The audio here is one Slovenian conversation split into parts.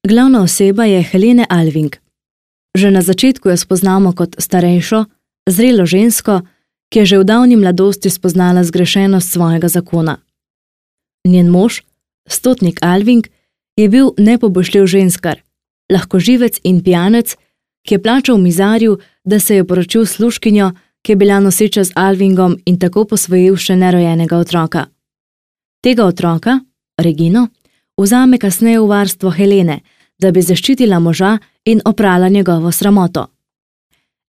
Glavna oseba je Helene Alving. Že na začetku jo spoznamo kot starejšo, zrelo žensko, ki je že v davni mladosti spoznala zgrešenost svojega zakona. Njen mož, stotnik Alving, je bil nepoboljšljiv ženskar, lahkoživec in pijanec, ki je plačal mizarju, da se je poročil s služkinjo, ki je bila noseča z Alvingom in tako posvojil še nerojenega otroka. Tega otroka, Regino, vzame kasneje v varstvo Helene, da bi zaščitila moža in oprala njegovo sramoto.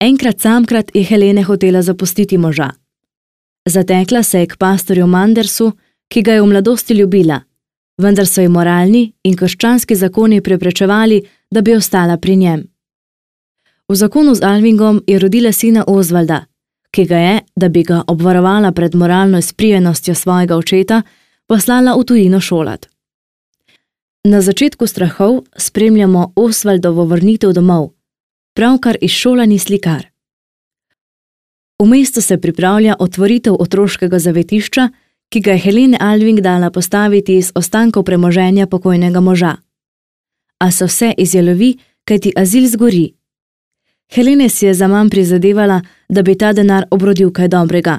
Enkrat samkrat je Helene hotela zapustiti moža. Zatekla se je k pastorju Mandersu, ki ga je v mladosti ljubila, vendar so ji moralni in krščanski zakoni preprečevali, da bi ostala pri njem. V zakonu z Alvingom je rodila sina Osvalda, ki ga je, da bi ga obvarovala pred moralno izprijenostjo svojega očeta, poslala v tujino šolat. Na začetku strahov spremljamo Osvaldovo vrnitev domov, pravkar izšolani slikar. V mestu se pripravlja otvoritev otroškega zavetišča, ki ga je Helene Alving dala postaviti iz ostankov premoženja pokojnega moža. A se vse izjalovi, kajti azil zgori. Helene si je zaman prizadevala, da bi ta denar obrodil kaj dobrega.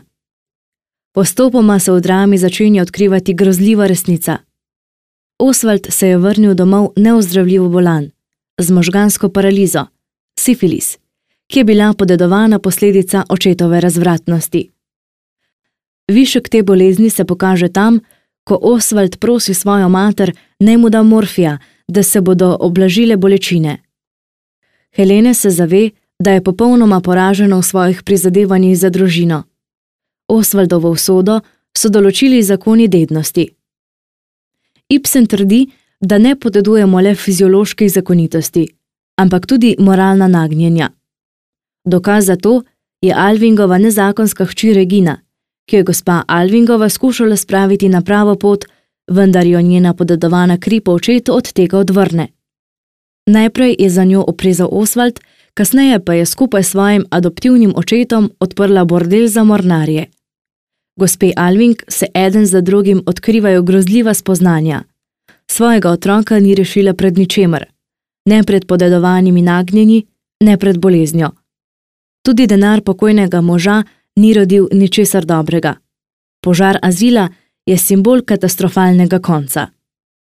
Postopoma se v drami začenja odkrivati grozljiva resnica. Osvald se je vrnil domov neozdravljivo bolan, z možgansko paralizo, sifilis, ki je bila podedovana posledica očetove razvratnosti. Višek te bolezni se pokaže tam, ko Osvald prosi svojo mater, naj mu da morfija, da se bodo oblažile bolečine. Helene se zave, da je popolnoma poražena v svojih prizadevanjih za družino. Osvaldovo usodo so določili zakoni dednosti. Ibsen trdi, da ne podedujemo le fizioloških zakonitosti, ampak tudi moralna nagnjenja. Dokaz za to je Alvingova nezakonska hči Regina, ki je gospa Alvingova skušala spraviti na pravo pot, vendar jo njena podedovana kri po očetu od tega odvrne. Najprej je za njo oprezal Osvald, kasneje pa je skupaj s svojim adoptivnim očetom odprla bordel za mornarje. Gospe Alving se eden za drugim odkrivajo grozljiva spoznanja. Svojega otroka ni rešila pred ničemer, ne pred podedovanimi nagnjenji, ne pred boleznjo. Tudi denar pokojnega moža ni rodil ničesar dobrega. Požar azila je simbol katastrofalnega konca.